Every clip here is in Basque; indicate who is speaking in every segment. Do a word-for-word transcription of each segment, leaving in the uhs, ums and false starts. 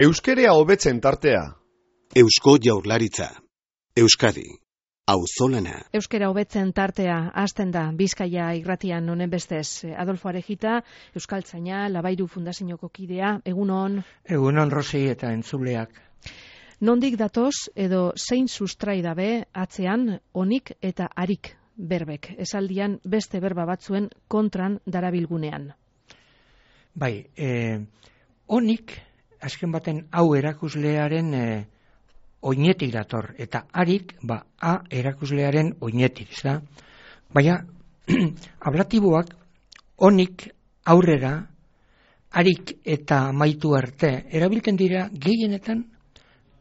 Speaker 1: Euskerea hobetzen tartea.
Speaker 2: Eusko Jaurlaritza. Euskadi. Auzolana.
Speaker 3: Euskera hobetzen tartea hasten da Bizkaia irratian honen bestez. Adolfo Arejita, Euskaltzaina, Labairu Fundazioko kidea, egunon.
Speaker 4: Egunon Rosi eta entzuleak.
Speaker 3: Nondik datoz edo zein sustrai dabe atzean onik eta harik berbek. Esaldian beste berba batzuen kontran darabilgunean.
Speaker 4: Bai, eh, onik, azken baten hau erakuslearen eh, oinetik dator, eta harik, ba, a erakuslearen oinetik, ez da? Baina, ablatiboak onik aurrera, harik eta amaitu arte, erabiltzen dira gehienetan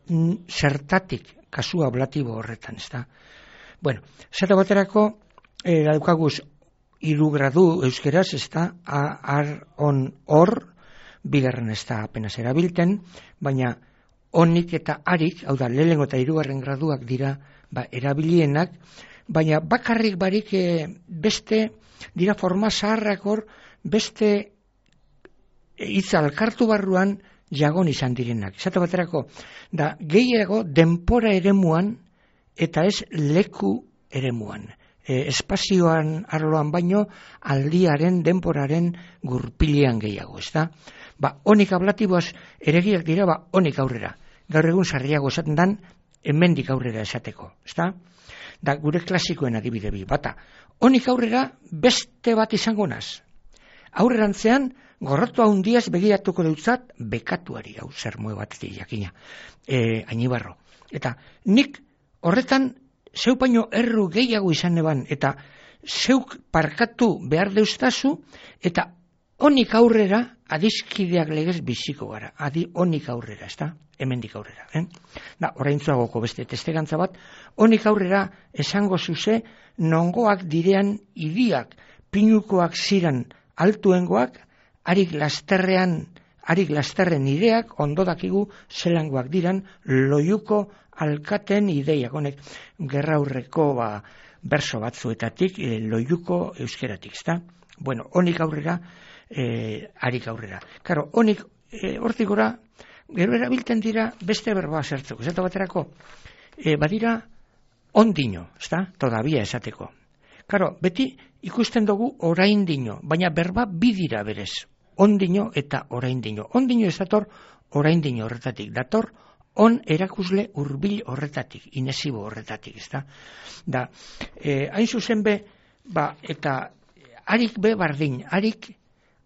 Speaker 4: n, zertatik kasu ablatibo horretan, ez da? Bueno, zata baterako, eh, daukaguz hiru gradu euskeraz, ez da, ar, on, hor, bigarren ez da apenas erabilten, baina onik eta harik, hau da, lehenengo eta hirugarren graduak dira ba, erabilienak, baina bakarrik barik e, beste, dira forma zaharrak hor, beste hitz alkartu barruan jagon izan direnak. Esate baterako, da gehiago denpora eremuan eta ez leku eremuan. E, espazioan arloan baino aldiaren, denporaren gurpilean gehiago, ez da? Ba, onik ablatiboaz eregiak dira, ba, onik aurrera. Gaur egun sarriago esaten dan, hemendik aurrera esateko, ezta? Da, gure klasikoen adibide bi, bata. Onik aurrera beste bat izango naz. Aurrerantzean, gorrotu handiaz begiratuko dutzat, bekatuari, hau zer moe bat jakina, e, Ainibarro. Eta nik horretan zeupaino erru gehiago izan eban, eta zeuk parkatu behar deustazu, eta onik aurrera, adizkideak legez biziko gara. Adi onik aurrera, ez da? Hemendik aurrera. Eh? Da, oraintzuagoko beste testegantza bat, onik aurrera esango zuze, nongoak direan idiak, pinukoak ziran altuengoak, harik lasterrean, harik lasterren ideak, ondo dakigu zelangoak diran, loiuko alkaten ideiak. Honek, gerra aurreko ba, berso batzuetatik, e, loiuko euskeratik, ez da? Bueno, onik aurrera, E, harik aurrera. Karo, honik e, hortik gora, gero erabiltzen dira beste berba zertzeko. Zeta baterako, e, badira ondino, ezta? Todavia esateko. Karo, beti ikusten dugu oraindino, baina berba bidira berez. Ondino eta oraindino. Ondino ez dator oraindino horretatik. Dator on erakusle hurbil horretatik, inesibo horretatik, ezta? Da, e, hain zuzen be, ba, eta harik be bardin, harik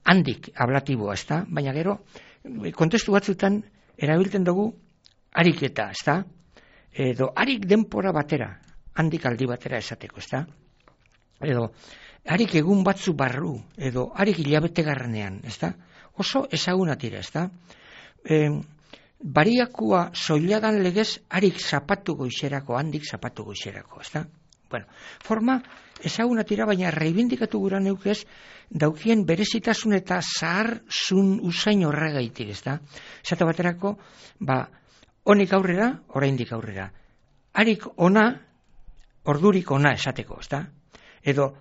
Speaker 4: handik ablatiboa, ezta? Baina gero, kontestu batzutan erabiltzen dugu ariketa, ezta? Edo harik denpora batera, handik aldi batera esateko, ezta? Edo harik egun batzu barru, edo harik hilabete garranean, ezta? Oso ezaguna tira, ezta? E, bariakua soiladan legez harik zapatu goizerako, handik zapatu goizerako, ezta? Bueno, forma ezaguna tira, baina reibindikatu gura neukez, daukien berezitasun eta zahar zun usain horregaitik, ez da? Zata baterako, ba, onik aurrera, oraindik aurrera. Harik ona, ordurik ona esateko, ez da? Edo,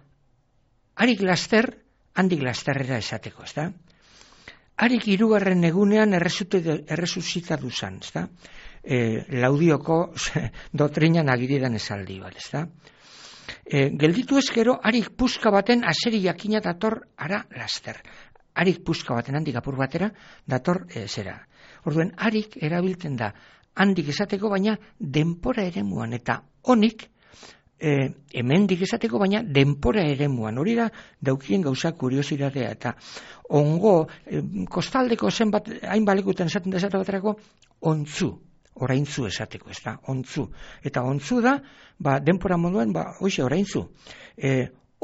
Speaker 4: harik laster, handik lasterrera esateko, ez da? Harik hirugarren egunean erresusita duzan, ez da? E, laudioko dotrinan agiridan esaldi, bal, ez da? E, gelditu ezkero, harik puska baten aseri jakina dator ara laster. Harik puska baten handik apur batera dator e, zera. Orduen, harik erabiltzen da handik esateko, baina denpora eremuan, eta honik e, hemendik esateko, baina denpora eremuan. Hori da daukien gauza kuriositatea, eta ongo, e, kostaldeko zenbat hainbalekuten esaten da esate baterako, ontzu. Oraintzu esateko, ez da, ontzu. Eta ontzu da, ba, denpora moduan, ba, hoxe, oraintzu. E,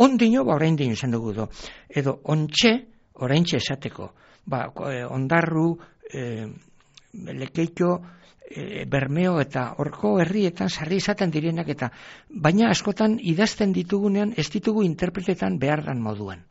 Speaker 4: ondino, ba, oraindino esan dugu do. Edo, ontxe, oraintxe esateko. Ba, e, ondarru, e, lekeitio, e, bermeo eta horko herrietan sarri izaten direnak, eta baina askotan idazten ditugunean, ez ditugu interpretetan behar dan moduan.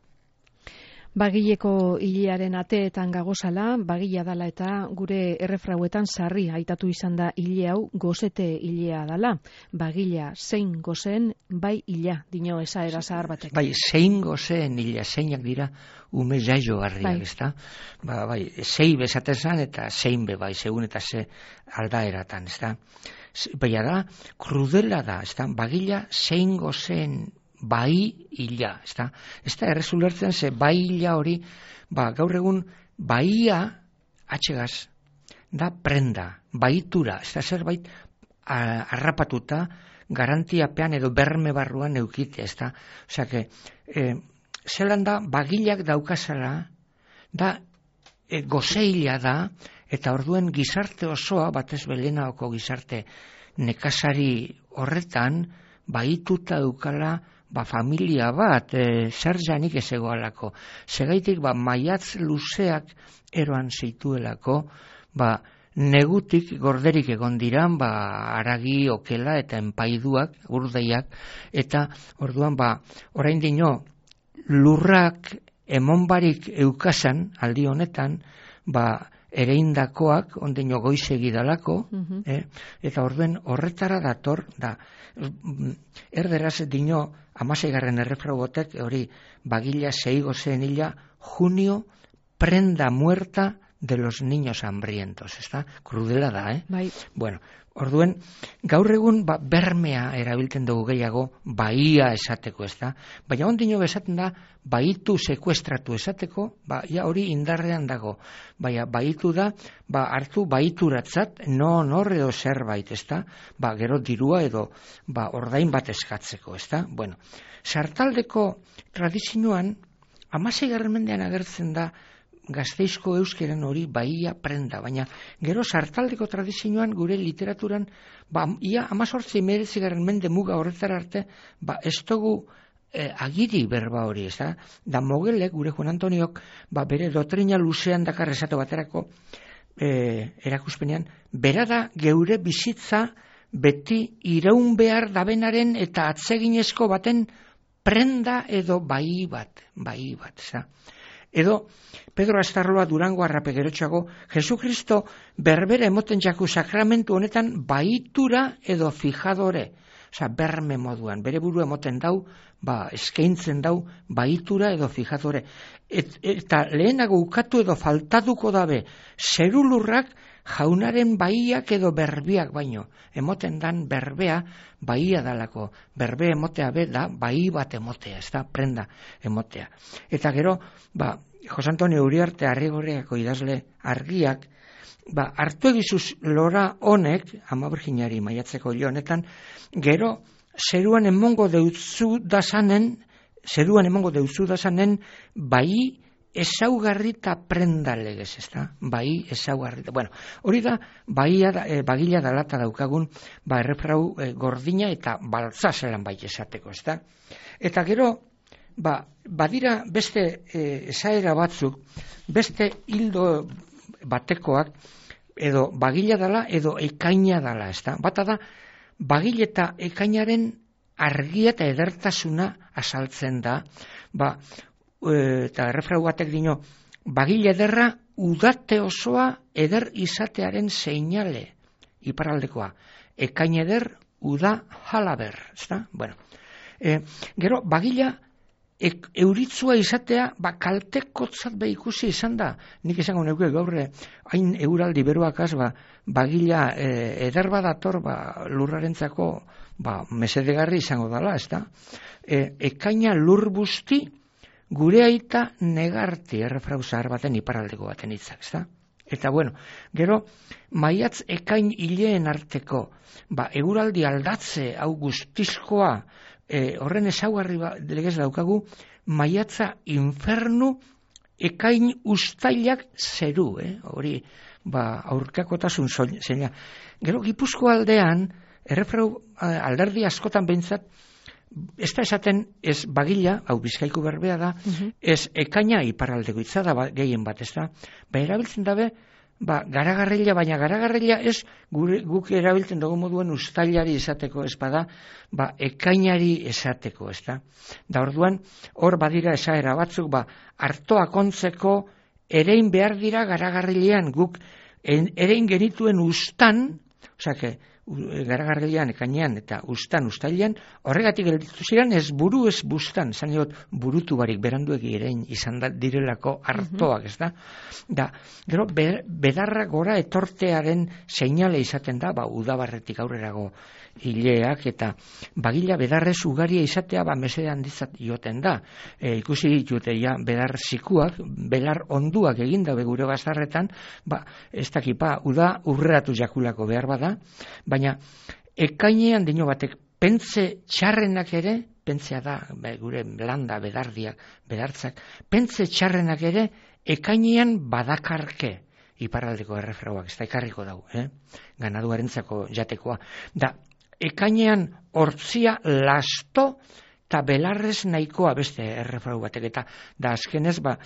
Speaker 3: Bagileko hilearen ateetan gagozala, bagila dala eta gure errefrauetan sarri aitatu izan da hile hau gozete hilea dala. Bagila zein gozen bai hila, dino esaera zahar batek.
Speaker 4: Bai, zein gozen hila, zeinak dira ume jaio harriak,
Speaker 3: bai.
Speaker 4: ezta? Ba, bai, zei bezaten zan eta zein be bai, segun eta ze aldaeratan, ezta? Baina da, krudela da, ezta? Bagila zein gozen bai hila, ezta? Ez da errezulertzen ze bai hila hori, ba, gaur egun baia atxegaz da prenda, baitura, ez da zerbait harrapatuta garantiapean edo berme barruan eukite, ez da? Osea, que, e, zelan da, bagilak daukazala, da e, gozeila da, eta orduen gizarte osoa, batez belenaoko gizarte nekazari horretan, baituta eukala, ba, familia bat, e, zer janik ez egoalako. Segaitik, ba, maiatz luzeak eroan zeituelako, ba, negutik gorderik egon diran, ba, aragi, okela eta enpaiduak, urdeiak, eta orduan, ba, orain dino, lurrak emonbarik eukasan, aldi honetan, ba, ereindakoak, ondino goizegi dalako, uh-huh. eh? Eta orduen horretara dator, da, erderaz dino, amaseigarren errefraugotek, hori, bagila zeigo zen hila, junio, prenda muerta de los niños hambrientos, ezta? Krudela da, eh?
Speaker 3: Bai.
Speaker 4: Bueno, orduen, gaur egun ba, bermea erabiltzen dugu gehiago, baia esateko, ezta? Baina ondino bezaten da, baitu sekuestratu esateko, ba, ja hori indarrean dago. Baina baitu da, ba, hartu baituratzat, no nor edo zerbait, ezta? Ba, gero dirua edo, ba, ordain bat eskatzeko, ezta? Bueno, sartaldeko tradizioan, hamaseigarren mendean agertzen da, Gasteizko euskeren hori baia prenda, baina gero sartaldeko tradizioan gure literaturan, ba, ia amazortzi meretzigarren mende muga horretara arte, ba, ez dugu eh, agiri berba hori, ez da? Da Mogelek, gure Juan Antoniok, ba, bere dotrina luzean dakar esate baterako eh, erakuspenean, bera da geure bizitza beti iraun behar dabenaren eta atseginezko baten prenda edo bai bat, bai bat, ez da? Edo, Pedro Astarloa Durango arrape gerotxago, Jesukristo berbera emoten jaku sakramentu honetan baitura edo fijadore, oza, berme moduan, bere buru emoten dau, ba, eskaintzen dau, baitura edo fijadore. Et, eta lehenago ukatu edo faltatuko dabe, zerulurrak jaunaren baiak edo berbiak baino, emoten dan berbea baia dalako, berbe emotea be da bai bat emotea, ez da prenda emotea. Eta gero, ba, Jose Antonio Uriarte Arrigorriako idazle argiak, ba, hartu egizuz lora honek, Ama Birjinari maiatzeko hilo honetan, gero, zeruan emongo deutzu dazanen, zeruan emongo deutzu dazanen, bai ezaugarri eta prenda legez, ez da? Bai ezaugarri. Bueno, hori da, baia, e, bagila dalata daukagun, ba, errefrau e, gordina eta baltza zelan bai esateko, ez da? Eta gero, ba, badira beste e, esaera batzuk, beste hildo batekoak, edo bagila dala, edo ekaina dala, ez da? Bata da, bagila eta ekainaren argia eta edertasuna asaltzen da, ba, eta errefrau batek dino, bagile ederra udate osoa eder izatearen seinale, iparaldekoa, ekain eder uda halaber, ezta? Bueno, e, gero bagila e, euritzua izatea, ba, kaltekotzat be ikusi izan da, nik izango neuke gaurre, hain euraldi beruakaz, ba, bagila e, eder badator, ba, lurrarentzako, ba, mesedegarri izango dala, ezta? E, ekaina lur busti, gure aita negarti errefrau zahar baten iparaldeko baten hitzak, ezta? Eta bueno, gero, maiatz ekain hileen arteko, ba, eguraldi aldatze hau guztizkoa, e, horren ezaugarri ba, legez daukagu, maiatza infernu ekain ustailak zeru, eh? Hori, ba, aurkakotasun zeina. Gero, Gipuzko aldean, errefrau alderdi askotan behintzat, ez da esaten ez bagila, hau Bizkaiko berbea da, uh-huh. Ez ekaina iparaldeko hitza da ba, gehien bat, ez da, ba, erabiltzen dabe ba, garagarrila, baina garagarrila ez gure, guk erabiltzen dugu moduen uztailari esateko ez bada, ba, ekainari esateko, ez da. Da orduan, hor badira esaera batzuk, ba, artoa kontzeko erein behar dira garagarrilean, guk erein genituen ustan, osake, garagarrilean, ekainean eta ustan, ustailean, horregatik gelditu ziren ez buru ez bustan, zan jot, burutu barik beranduegi erein izan da, direlako artoak, ez da. Da, gero, bedarra gora etortearen seinale izaten da, ba, udabarretik aurrerago hileak eta bagila bedarrez ugaria izatea ba mesede handizat joten da. E, ikusi ditute ja bedar zikuak, belar onduak eginda gure bazarretan, ba ez dakipa uda urreratu jakulako behar bada, baina ekainean dino batek pentze txarrenak ere, pentzea da be, gure landa bedardiak, bedartzak, pentze txarrenak ere ekainean badakarke. Iparraldeko errefrauak, ez da ikarriko dau, eh? Ganaduarentzako jatekoa. Da, ekainean hortzia lasto eta belarrez nahikoa beste errefrau batek eta da azkenez ba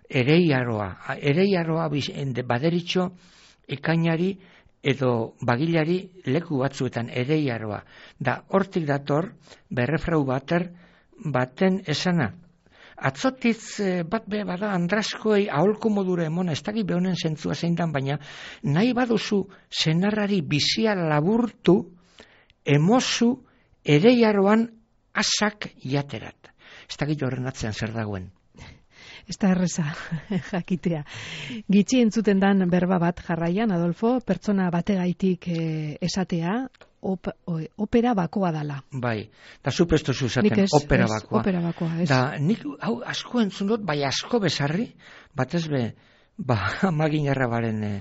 Speaker 4: ereiaroa ereiaroa baderitxo ekainari edo bagilari leku batzuetan ereiaroa da hortik dator berrefrau bater baten esana atzotitz bat be bada andraskoei aholko modura emona ez dakit behonen zentzua zeindan baina nahi baduzu senarrari bizia laburtu emozu ereiaroan asak jaterat. Ez dakit horren atzean zer dagoen.
Speaker 3: Ez da erreza jakitea. Gitxi entzuten dan berba bat jarraian, Adolfo, pertsona bategaitik eh, esatea, op, opera bakoa dala.
Speaker 4: Bai, da zupestu zuzaten,
Speaker 3: ez,
Speaker 4: opera
Speaker 3: ez,
Speaker 4: bakoa.
Speaker 3: Opera bakoa, ez.
Speaker 4: Da, nik hau asko entzun dut, bai asko bezarri, batez be, ba, amaginarra baren eh,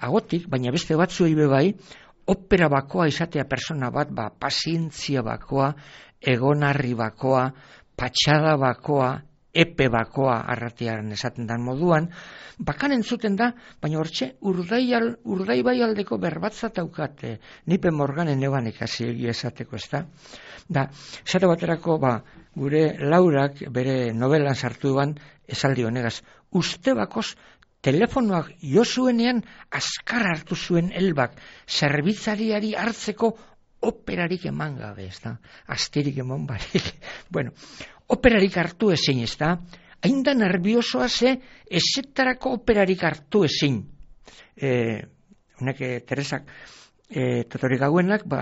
Speaker 4: agotik, baina beste batzuei be bai, opera bakoa izatea persona bat, ba, pazientzia bakoa, egonarri bakoa, patxada bakoa, epe bakoa arratiaren esaten dan moduan, bakan entzuten da, baina hortxe urdaial, urdaibai aldeko berbatzat daukate, nipe morganen eban ikasi esateko ez da. Da, esate baterako, ba, gure Laurak bere novelan sartu duan, esaldi honegaz, uste bakoz, telefonoak jo zuenean azkar hartu zuen Elbak zerbitzariari hartzeko operarik eman gabe, ez da? Astirik eman barik. Bueno, operarik hartu ezin, ez da? Hain da nerviosoa ze ezetarako operarik hartu ezin. Eh, Honek Teresak e, totorik hauenak, ba,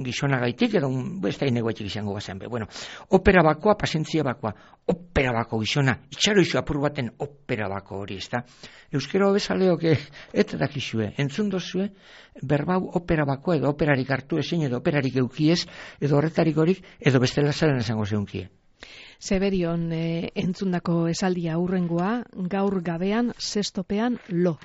Speaker 4: gizona gaitik, edo ez da inegoetik izango bazen. Be. Bueno, opera bakoa, pazientzia bakoa, opera bako gizona, itxaro izu apur baten opera bako hori, ez da. Euskero bezaleok eta dakizue, entzun dozue, berbau opera bakoa, edo operarik hartu ezin, edo operarik eukiez, edo horretarik horik, edo bestela zaren esango zeunkie.
Speaker 3: Zeberion e, entzundako esaldia aurrengoa, gaur gabean, zestopean lo.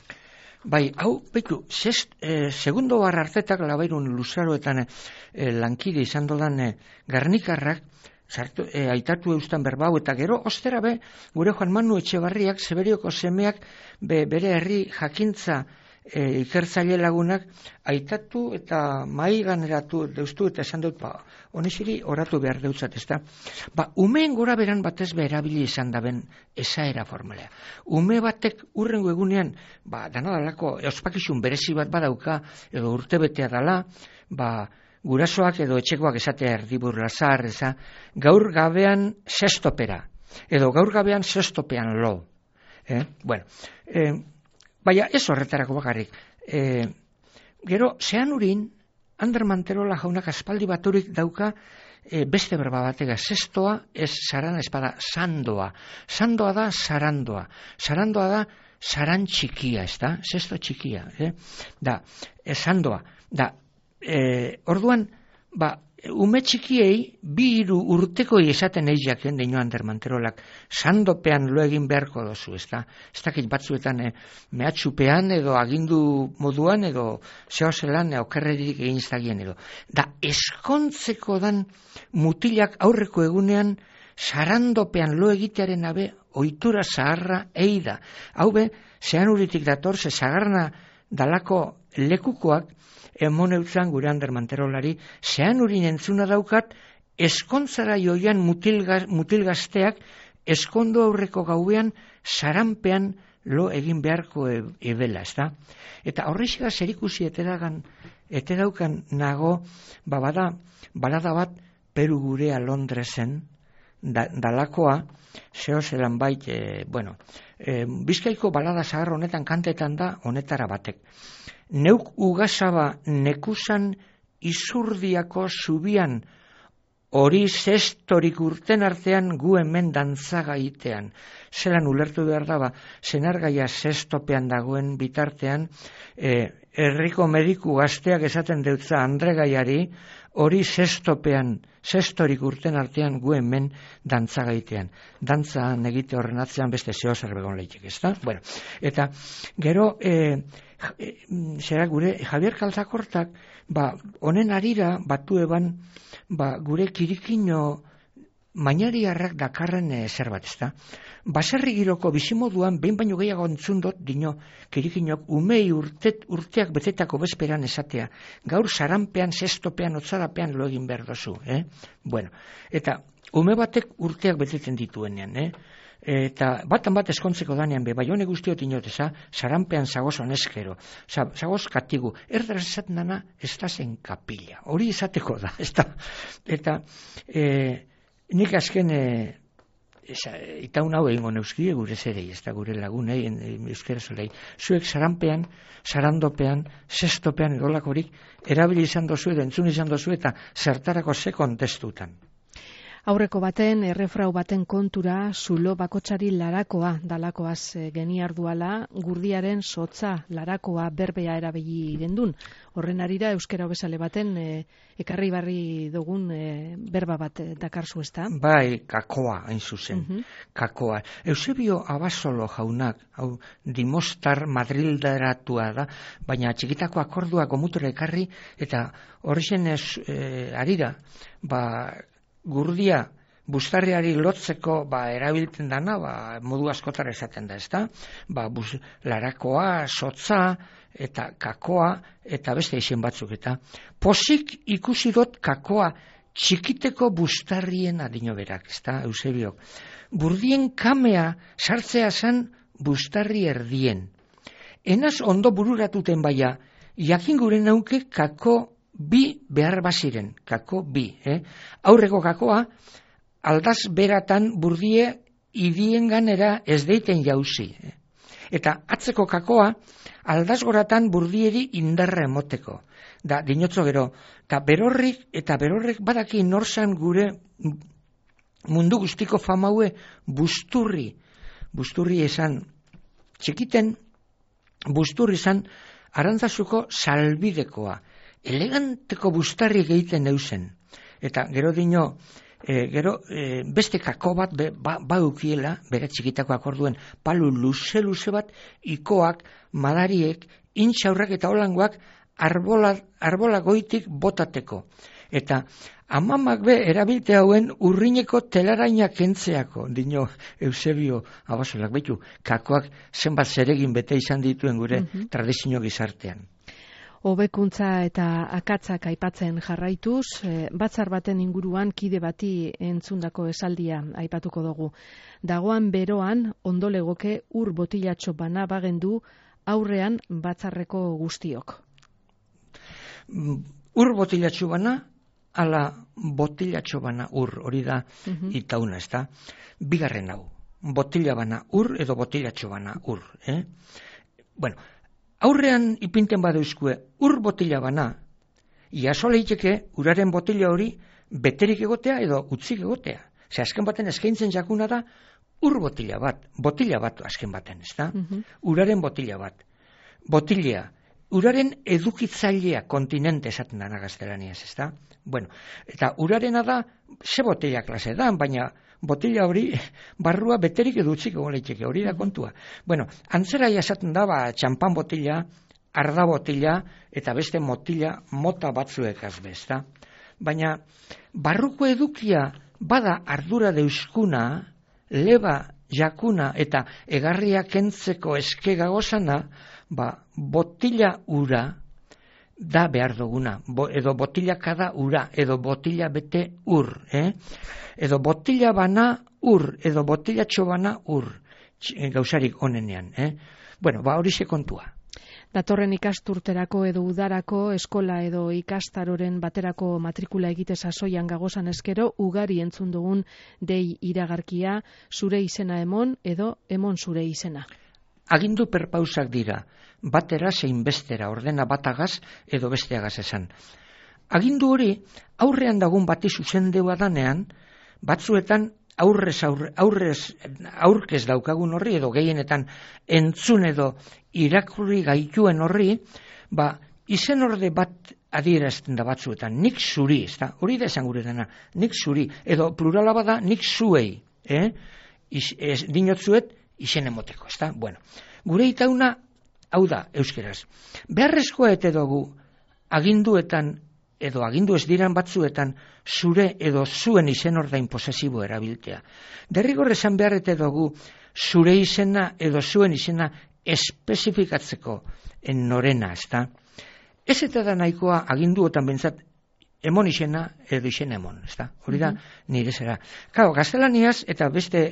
Speaker 4: Bai, hau, baitu, zest, e, segundo barra hartetak labairun luzaroetan e, lankide izan dodan e, garnikarrak, sartu, e, aitatu eustan berbau, eta gero, ostera be, gure Juan Manu Etxebarriak, Zeberioko semeak, be, bere herri jakintza e, ikertzaile lagunak, aitatu eta mai ganeratu deustu, eta esan dut, ba, honeziri oratu behar deutzat, ez da? Ba, umeen gora beran batez be erabili izan daben esaera formalea. Ume batek urrengo egunean, ba, danadalako, ospakizun berezi bat badauka, edo urtebetea dala, ba, gurasoak edo etxekoak esatea erdibur lazar, eza, gaur gabean zestopera, edo gaur gabean zestopean lo. Eh? Bueno, eh, baina ez horretarako bakarrik. Eh, gero, zean urin, Ander Manterola jaunak aspaldi baturik dauka e, beste berba batega, zestoa ez sarana espada, sandoa. Sandoa da sarandoa. Sarandoa da saran txikia, ez da? Zesto txikia. Eh? Da, e, sandoa. Da, e, orduan, ba, ume txikiei, bi hiru urtekoi esaten eizaken deino Ander Manterolak, sandopean lo egin beharko dozu, ez da? Ez dakit batzuetan eh, mehatxupean edo agindu moduan edo zehozelan eh, okerrerik egin zagien edo. Da, eskontzeko dan mutilak aurreko egunean sarandopean lo egitearen abe ohitura zaharra eida. Hau be, zean uritik dator, ze zagarna dalako lekukoak emon eutzan gure Ander Manterolari, zean urin entzuna daukat, eskontzara joian mutilgaz, mutilgazteak eskondo aurreko gauean saranpean lo egin beharko e, ebela, ez da? Eta horrexega zerikusi eteragan, eteraukan nago, ba bada, balada bat Peru gurea Londresen, da, dalakoa, zeo zelan bait, e, bueno, e, Bizkaiko balada zahar honetan kantetan da, honetara batek. Neuk ugasaba nekusan izurdiako zubian, hori zestorik urten artean gu hemen dantzagaitean. Zelan ulertu behar daba, zenargaia zestopean dagoen bitartean, e, herriko mediku gazteak esaten deutza Andregaiari, hori zestopean, zestorik urten artean gu hemen dantzagaitean. Dantza negite horren atzean beste zeo zer begon leitek, ez da? Bueno, eta gero, e, e, zera gure, Javier Kaltzakortak, ba, honen arira batu eban, ba, gure kirikino mainariarrak dakarren e, zerbait, ez da? Baserri giroko bizimoduan, behin baino gehiago entzundot, dino, kirikinok, umei urtet, urteak betetako bezperan esatea, gaur saranpean, zestopean, otzarapean lo egin behar dozu, eh? Bueno, eta ume batek urteak beteten dituenean, eh? Eta batan bat eskontzeko danean be, bai hone guztiot inoteza, saranpean zagoz honezkero, zagoz katigu, erdaraz esaten dana, ez da zen kapila, hori esateko da, ez da, eta e, nik azken, e, itaun hau egingo neuzkie gure zerei, ez da gure lagunei, euskera zolei, zuek saranpean, sarandopean, zestopean edolakorik, erabili izan dozu edo entzun izan dozu eta zertarako ze kontestutan.
Speaker 3: Aurreko baten, errefrau baten kontura, zulo bakotsari larakoa dalakoaz geniarduala, gurdiaren sotza larakoa berbea erabili gendun. Horren arira, euskera hobesale baten, e, ekarri barri dugun e, berba bat dakarzu, ez da?
Speaker 4: Bai, kakoa, hain zuzen,
Speaker 3: Uh-huh.
Speaker 4: kakoa. Eusebio Abasolo jaunak, hau, Dimostar Madrilderatua da, baina txikitako akordua gomutura ekarri, eta horrexen ez e, arira, ba, gurdia bustarriari lotzeko ba, erabiltzen dana, ba, modu askotara esaten da, ezta? Ba, bus, larakoa, sotza, eta kakoa, eta beste izen batzuk, eta posik ikusi dut kakoa txikiteko bustarrien adino berak, ezta, Eusebio. Burdien kamea sartzea zen bustarri erdien. Enaz ondo bururatuten baia, jakin gure nauke kako bi behar baziren, kako bi, eh? Aurreko kakoa, aldaz beratan burdie idien ganera ez deiten jauzi. Eh? Eta atzeko kakoa, aldaz goratan burdieri indarra emoteko. Da, dinotzo gero, eta berorrik, eta berorrek badaki norzan gure mundu guztiko famaue busturri, busturri esan, txikiten, busturri esan, Arantzazuko salbidekoa, eleganteko bustarrik egiten eusen. Eta gero dino, e, gero e, beste kako bat be, ba, baukiela, bere txikitako akorduen, palu luze-luze bat, ikoak, madariek, intxaurrak eta holangoak arbola, arbola goitik botateko. Eta amamak be erabilte hauen urrineko telaraina kentzeako, dino Eusebio Abasolak, betu, kakoak zenbat zeregin bete izan dituen gure uh-huh. tradizio gizartean.
Speaker 3: Hobekuntza eta akatzak aipatzen jarraituz, e, batzar baten inguruan kide bati entzundako esaldia aipatuko dugu. Dagoan beroan ondolegoke ur botilatxo bana bagendu aurrean batzarreko guztiok.
Speaker 4: Ur botilatxo bana, ala botilatxo bana ur, hori da uh-huh. itauna, ez da? Bigarren hau, botila bana ur edo botilatxo bana ur. Eh? Bueno, aurrean ipinten badeuzkue ur botila bana, iaso leiteke uraren botila hori beterik egotea edo utzik egotea. Ze azken baten eskaintzen jakuna da ur botila bat, botila bat azken baten, ez da? Uh-huh. Uraren botila bat. Botilea, uraren edukitzailea kontinente esaten dana gaztelaniaz, ez da? Bueno, eta urarena da, ze botila klase da, baina botila hori barrua beterik edutzik egon leiteke, hori da kontua. Bueno, antzera esaten da, ba, txampan botila, arda botila, eta beste motila mota batzuek azbez, da? Baina, barruko edukia bada ardura deuskuna, leba jakuna eta egarria kentzeko eske gagozana, ba, botila ura da behar duguna, Bo, edo botila kada ura, edo botila bete ur, eh? Edo botila bana ur, edo botila txobana ur. gauzarik onenean. Eh? Bueno, ba hori kontua.
Speaker 3: Datorren ikasturterako edo udarako eskola edo ikastaroren baterako matrikula egite sasoian gagozan eskero ugari entzun dugun dei iragarkia, zure izena emon edo emon zure izena.
Speaker 4: Agindu perpausak dira, batera zein bestera, ordena batagaz edo besteagaz esan. Agindu hori aurrean dagun bati zuzendeua danean, batzuetan aurrez, aurre, aurrez, aurkez daukagun horri, edo gehienetan entzun edo irakurri gaituen horri, ba, izen orde bat adierazten da batzuetan, nik zuri, ez da, hori da esan gure dena, nik zuri, edo plurala bada nik zuei, eh? Iz, ez, dinotzuet izen emoteko, ez da, bueno. Gure itauna, hau da, euskeraz, beharrezkoa ete dugu aginduetan edo agindu ez diran batzuetan zure edo zuen izen ordain posesibo erabiltea. Derrigor esan beharrete dugu zure izena edo zuen izena espezifikatzeko norena, ez da? Ez eta da nahikoa aginduotan bentsat emon izena edo izena emon, ez da? Hori da, nire zera. Kau, gaztelaniaz eta beste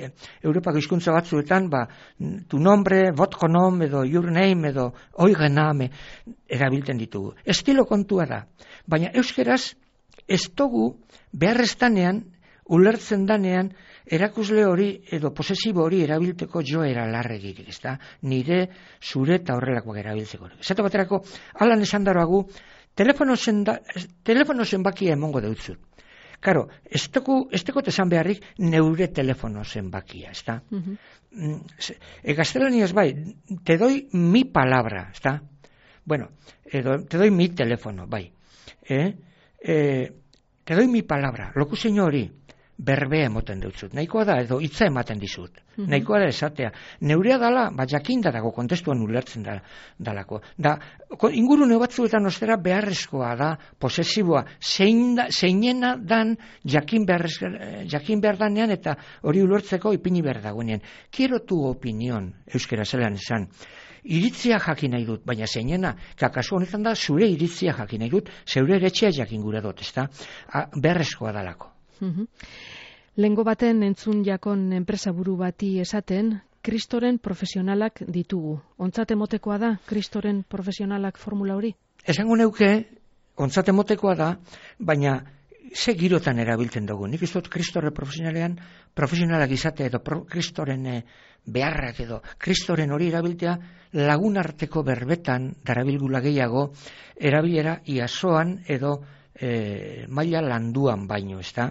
Speaker 4: Europako hizkuntza batzuetan, ba, tu nombre, votre nom, edo your name, edo oiga name, erabiltzen ditugu. Estilo kontua da. Baina euskeraz, ez dugu beharreztanean, ulertzen danean, erakusle hori edo posesibo hori erabilteko joera larregirik, ez da? Nire, zure eta horrelakoak erabiltzeko. Zato baterako, alan esan daroagu, telefono zenbakia emongo deutzut. Karo, ez teko esan beharrik neure telefono zenbakia, ez da? Uh-huh. E, gaztelaniaz bai, te doi mi palabra, ez da? Bueno, edo, te doi mi telefono, bai. Eh? Eh, te doi mi palabra, lokuzein hori, berbea emoten deutzut. Nahikoa da, edo hitza ematen dizut. Mm-hmm. Nahikoa da esatea. Neurea dala, ba jakinda dago, kontestuan ulertzen da, dalako. Da, ingurune batzuetan ostera beharrezkoa da, posesiboa, zein da, zeinena dan jakin, beharrez, jakin behar danean, eta hori ulertzeko ipini behar dagoenean. Quiero tu opinion, euskera zelan esan. Iritzia jakin nahi dut, baina zeinena, kakasu honetan da, zure iritzia jakin nahi dut, zeure eretxea jakin gura dut, ez da? Beharrezkoa dalako.
Speaker 3: Uhum. Lengo baten entzun jakon enpresaburu bati esaten, kristoren profesionalak ditugu. Ontzat emotekoa da, kristoren profesionalak formula hori?
Speaker 4: Esango neuke, ontzat emotekoa da, baina ze girotan erabiltzen dugu. Nik izot kristore profesionalean, profesionalak izate edo pro, kristoren eh, beharrak edo kristoren hori erabiltea lagunarteko berbetan darabilgula gehiago erabilera iasoan edo E, maila landuan baino, ez da?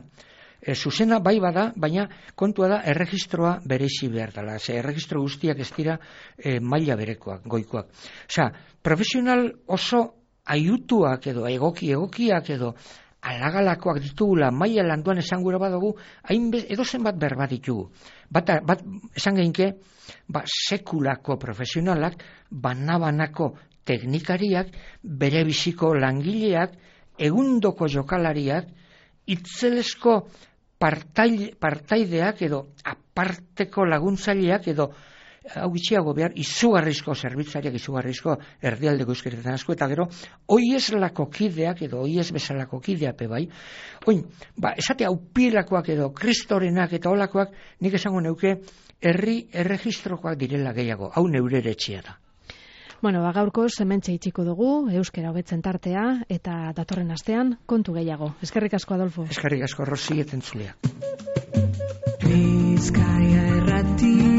Speaker 4: E, zuzena bai bada, baina kontua da erregistroa berezi behar dela. Ze erregistro guztiak ez dira e, maila berekoak, goikoak. Osa, profesional oso aiutuak edo egoki egokiak edo alagalakoak ditugula maila landuan esan gura badugu, hain edo zenbat berba ditugu. Bat, bat esan geinke, ba, sekulako profesionalak, banabanako teknikariak, bere biziko langileak, egundoko jokalariak, itzelesko partai, partaideak edo aparteko laguntzaileak edo hau gitxiago behar izugarrizko zerbitzariak, izugarrizko erdialdeko euskeretan asko, eta gero oieslako kideak edo oies bezalako kideak bai. Oin, ba, esate aupilakoak edo kristorenak eta olakoak nik esango neuke herri erregistrokoak direla gehiago, hau neure eretxea da.
Speaker 3: Bueno, ba, gaurko hementxe itxiko dugu, euskera hobetzen tartea, eta datorren astean kontu gehiago. Eskerrik asko, Adolfo.
Speaker 4: Eskerrik asko, Rosi, etentzulea.
Speaker 5: Bizkaia errati